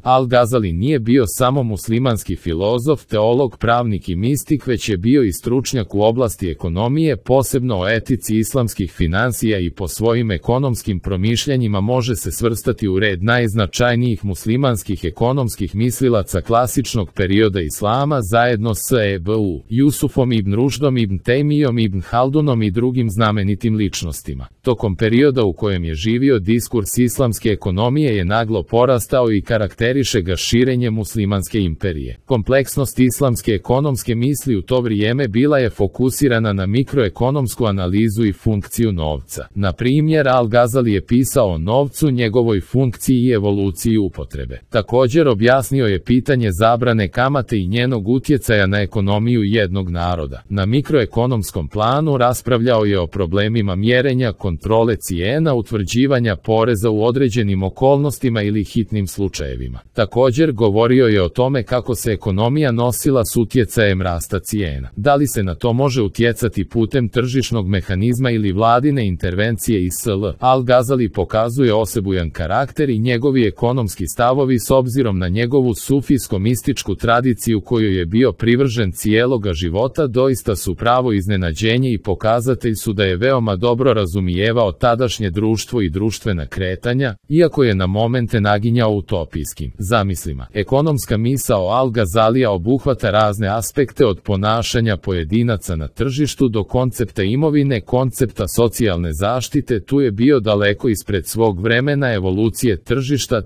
Al-Gazali nije bio samo muslimanski filozof, teolog, pravnik i mistik, već je bio i stručnjak u oblasti ekonomije, posebno o etici islamskih finansija, i po svojim ekonomskim promišljanjima može se svrstati u red najznačajnijih muslimanskih ekonomskih mislilaca klasičnog perioda islama, zajedno s Ebu Jusufom ibn Rušdom, ibn Tejmijom, ibn Haldunom i drugim znamenitim ličnostima. Tokom perioda u kojem je živio, diskurs islamske ekonomije je naglo porastao i karakteriše ga širenje muslimanske imperije. Kompleksnost islamske ekonomske misli u to vrijeme bila je fokusirana na mikroekonomsku analizu i funkciju novca. Na primjer, Al-Gazali je pisao o novcu, njegovoj funkciji i evoluciji upotrebe. Također objasnio je pitanje zabrane kamate i njenog utjecaja na ekonomiju jednog naroda. Na mikroekonomskom planu raspravljao je o problemima mjerenja, kontrole cijena, utvrđivanja poreza u određenim okolnostima ili hitnim slučajevima. Također govorio je o tome kako se ekonomija nosila s utjecajem rasta cijena. Da li se na to može utjecati putem tržišnog mehanizma ili vladine intervencije i sl. Al-Gazali pokazuje osebujan karakter i njegovi ekonomski stavovi s obzirom na njegovu sufijsko-mističku tradiciju kojoj je bio privržen cijeloga života doista su pravo iznenađenje i pokazatelj su da je veoma dobro razumijevao tadašnje društvo i društvena kretanja, iako je na momente naginjao utopijskim zamislima. Ekonomska misao Al-Gazalija obuhvata razne aspekte od ponašanja pojedinaca na tržištu do koncepta imovine, koncepta socijalne zaštite. Tu je bio daleko ispred svog vremena, evolucije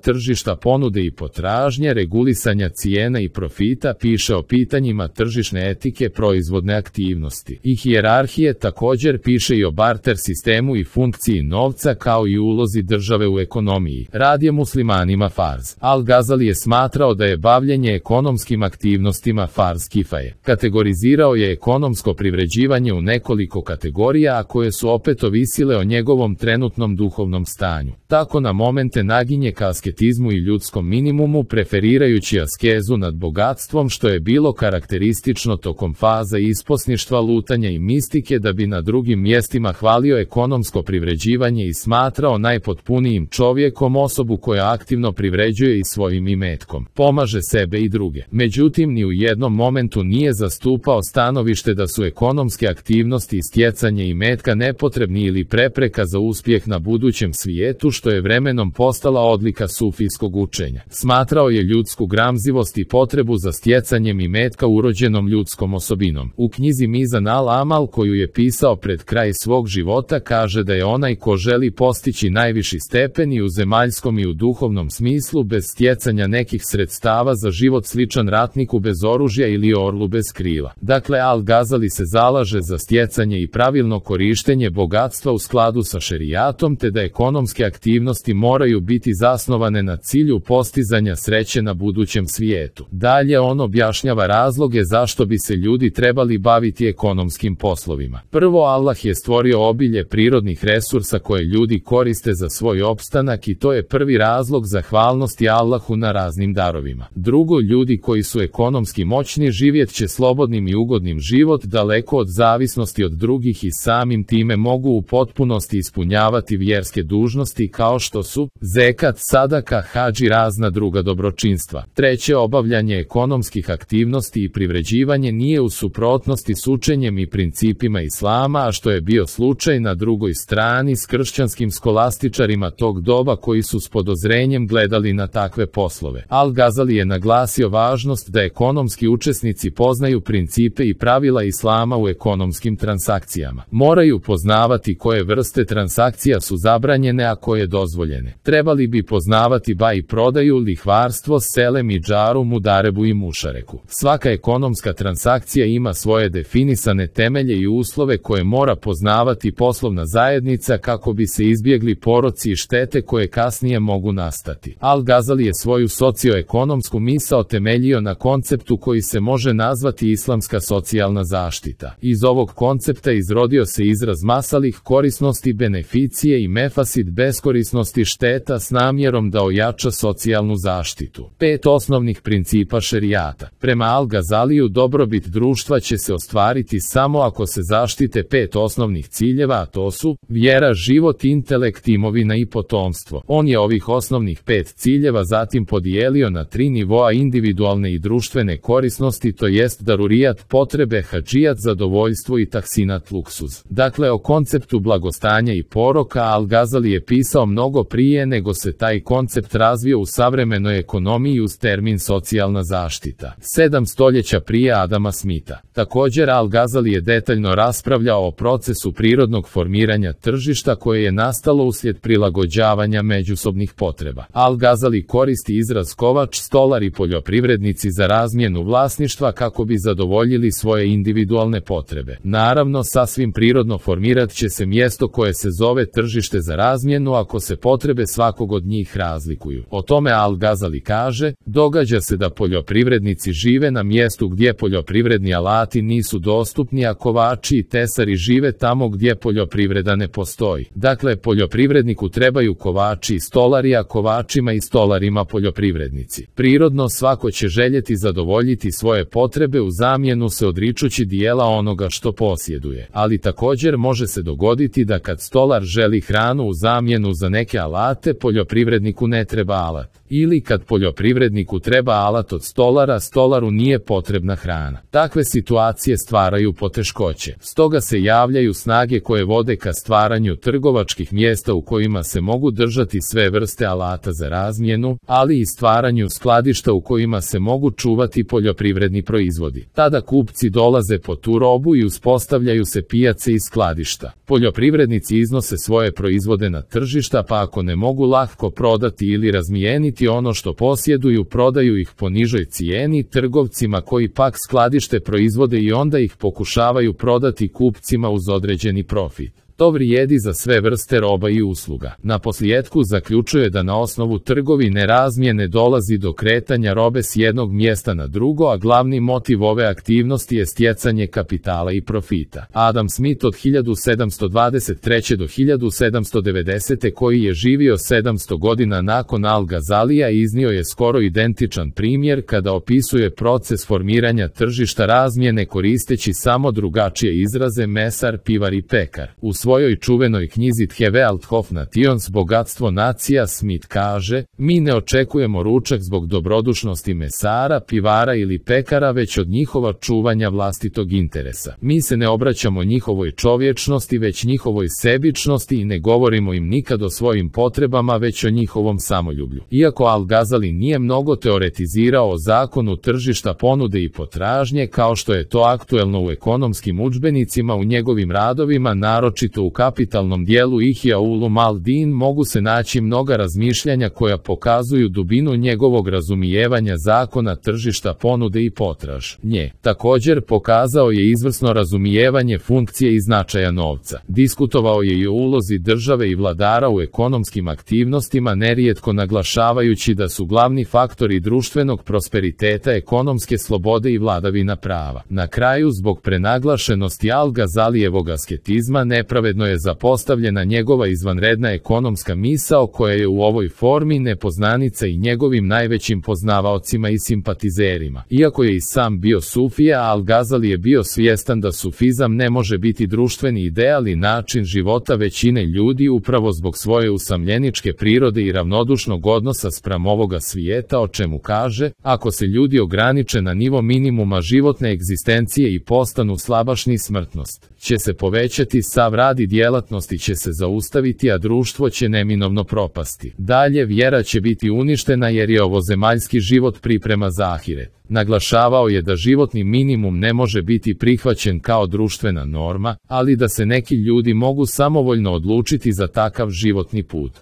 tržišta ponude i potražnje, regulisanja cijena i profita, piše o pitanjima tržišne etike, proizvodne aktivnosti i hijerarhije. Također piše i o barter sistemu i funkciji novca kao i ulozi države u ekonomiji. Rad je muslimanima farz. Al-Gazali je smatrao da je bavljenje ekonomskim aktivnostima farz kifaje. Kategorizirao je ekonomsko privređivanje u nekoliko kategorija, a koje su opet ovisile o njegovom trenutnom duhovnom stanju. Tako na momente naginje ka asketizmu i ljudskom minimumu, preferirajući askezu nad bogatstvom, što je bilo karakteristično tokom faza isposništva, lutanja i mistike, da bi na drugim mjestima hvalio ekonomsko privređivanje i smatrao najpotpunijim čovjekom osobu koja aktivno privređuje i svojim imetkom pomaže sebe i druge. Međutim, ni u jednom momentu nije zastupao stanovište da su ekonomske aktivnosti i stjecanje imetka nepotrebni ili prepreka za uspjeh na budućem svijetu, što je vremenom postala odlika sufijskog učenja. Smatrao je ljudsku gramzivost i potrebu za stjecanjem imetka urođenom ljudskom osobinom. U knjizi Mizan al-Amal, koju je pisao pred kraj svog života, kaže da je onaj ko želi postići najviši stepen i u zemaljskom i u duhovnom smislu bez stjecanja nekih sredstava za život sličan ratniku bez oružja ili orlu bez krila. Dakle, Al-Gazali se zalaže za stjecanje i pravilno korištenje bogatstva u skladu sa šerijatom, te da ekonomske aktivnosti moraju biti zasnovane na cilju postizanja sreće na budućem svijetu. Dalje on objašnjava razloge zašto bi se ljudi trebali baviti ekonomskim poslovima. Prvo, Allah je stvorio obilje prirodnih resursa koje ljudi koriste za svoj opstanak i to je prvi razlog zahvalnosti Allahu na raznim darovima. Drugo, ljudi koji su ekonomski moćni živjet će slobodnim i ugodnim život, daleko od zavisnosti od drugih, i samim time mogu u potpunosti ispunjavati vjerske dužnosti kao što su zekat, sadaka, hadž i razna druga dobročinstva. Treće, obavljanje ekonomskih aktivnosti i privređivanje nije u suprotnosti s učenjem i principima islama, a što je bio slučaj na drugoj strani s kršćanskim skolastičarima tog doba koji su s podozrenjem gledali na takve poslove. Al-Gazali je naglasio važnost da ekonomski učesnici poznaju principe i pravila islama u ekonomskim transakcijama. Moraju poznavati koje vrste transakcija su zabranjene, a koje dozvoljene. Trebali bi poznavati bai prodaju, lihvarstvo, selem i džaru, mudarebu i mušareku. Svaka ekonomska transakcija ima svoje definisane temelje i uslove koje mora poznavati poslovna zajednica kako bi se izbjegli poroci i štete koje kasnije mogu nastati. Al-Gazali je svoju socioekonomsku misao temeljio na konceptu koji se može nazvati islamska socijalna zaštita. Iz ovog koncepta izrodio se izraz masalih, korisnosti, beneficije, i mefasid, beskorisnosti, šteta, s namjerom da ojača socijalnu zaštitu. 5 osnovnih principa šerijata. Prema Al-Gazaliju dobrobit društva će se ostvariti samo ako se zaštite 5 osnovnih ciljeva, a to su su vjera, život, intelekt, imovina i potomstvo. On je ovih osnovnih 5 ciljeva zatim podijelio na 3 nivoa: individualne i društvene korisnosti, to jest darurijat, potrebe, hadžijat, zadovoljstvo i tahsinat, luksuz. Dakle, o konceptu blagostanja i poroka Al-Gazali je pisao mnogo prije nego se taj koncept razvio u savremenoj ekonomiji uz termin socijalna zaštita. 7 stoljeća prije Adama Smitha. Također Al-Gazali je detaljno raspravljao o procesu prirodnog formiranja tržišta koje je nastalo uslijed prilagođavanja međusobnih potreba. Al-Gazali koristi izraz kovač, stolar i poljoprivrednici za razmjenu vlasništva kako bi zadovoljili svoje individualne potrebe. Naravno, sasvim prirodno formirat će se mjesto koje se zove tržište za razmjenu ako se potrebe svakog od njih razlikuju. O tome Al-Gazali kaže: događa se da poljoprivrednici žive na mjestu gdje poljoprivredni alati nisu dostupni, a kovači i tesari žive tamo gdje poljoprivreda ne postoji. Dakle, poljoprivredniku trebaju kovači i stolari, a kovačima i stolarima poljoprivrednici. Prirodno svako će željeti zadovoljiti svoje potrebe u zamjenu se odričući dijela onoga što posjeduje. Ali također može se dogoditi da kad stolar želi hranu u zamjenu za neke alate, poljoprivredniku ne treba alat. Ili kad poljoprivredniku treba alat od stolara, stolaru nije potrebna hrana. Takve situacije stvaraju poteškoće. Stoga se javljaju snage koje vode ka stvaranju trgovačkih mjesta u kojima se mogu držati sve vrste alata za razmjenu, ali i stvaranju skladišta u kojima se mogu čuvati poljoprivredni proizvodi. Tada kupci dolaze po tu robu i uspostavljaju se pijace i skladišta. Poljoprivrednici iznose svoje proizvode na tržišta, pa ako ne mogu lako prodati ili razmijeniti ono što posjeduju, prodaju ih po nižoj cijeni trgovcima koji pak skladište proizvode i onda ih pokušavaju prodati kupcima uz određeni profit. To vrijedi za sve vrste roba i usluga. Naposljetku zaključuje da na osnovu trgovine razmjene dolazi do kretanja robe s jednog mjesta na drugo, a glavni motiv ove aktivnosti je stjecanje kapitala i profita. Adam Smith od 1723. do 1790. koji je živio 700 godina nakon Al-Gazalija iznio je skoro identičan primjer kada opisuje proces formiranja tržišta razmjene koristeći samo drugačije izraze mesar, pivar i pekar. U svojoj čuvenoj knjizi The Wealth of Nations, bogatstvo nacija, Smith kaže: mi ne očekujemo ručak zbog dobrodušnosti mesara, pivara ili pekara, već od njihova čuvanja vlastitog interesa. Mi se ne obraćamo njihovoj čovječnosti, već njihovoj sebičnosti i ne govorimo im nikad o svojim potrebama, već o njihovom samoljublju. Iako Al-Gazali nije mnogo teoretizirao o zakonu tržišta ponude i potražnje, kao što je to aktuelno u ekonomskim udžbenicima, u njegovim radovima, naročito u kapitalnom dijelu Ihya Ulum al-Din, mogu se naći mnoga razmišljanja koja pokazuju dubinu njegovog razumijevanja zakona tržišta ponude i potražnje. Također pokazao je izvrsno razumijevanje funkcije i značaja novca. Diskutovao je i o ulozi države i vladara u ekonomskim aktivnostima, nerijetko naglašavajući da su glavni faktori društvenog prosperiteta ekonomske slobode i vladavina prava. Na kraju, zbog prenaglašenosti Al-Gazalijevog asketizma, nepravedno je zapostavljena njegova izvanredna ekonomska misao koja je u ovoj formi nepoznanica i njegovim najvećim poznavaocima i simpatizerima. Iako je i sam bio sufija, Al-Gazali je bio svjestan da sufizam ne može biti društveni ideal i način života većine ljudi upravo zbog svoje usamljeničke prirode i ravnodušnog odnosa spram ovoga svijeta, o čemu kaže: ako se ljudi ograniče na nivo minimuma životne egzistencije i postanu slabašni, smrtnost će se povećati, sav rad i djelatnosti će se zaustaviti, a društvo će neminovno propasti. Dalje, vjera će biti uništena jer je ovozemaljski život priprema za ahiret. Naglašavao je da životni minimum ne može biti prihvaćen kao društvena norma, ali da se neki ljudi mogu samovoljno odlučiti za takav životni put.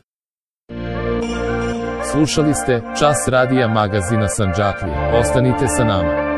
Slušali ste Čas radija magazina Sandžaklija. Ostanite sa nama.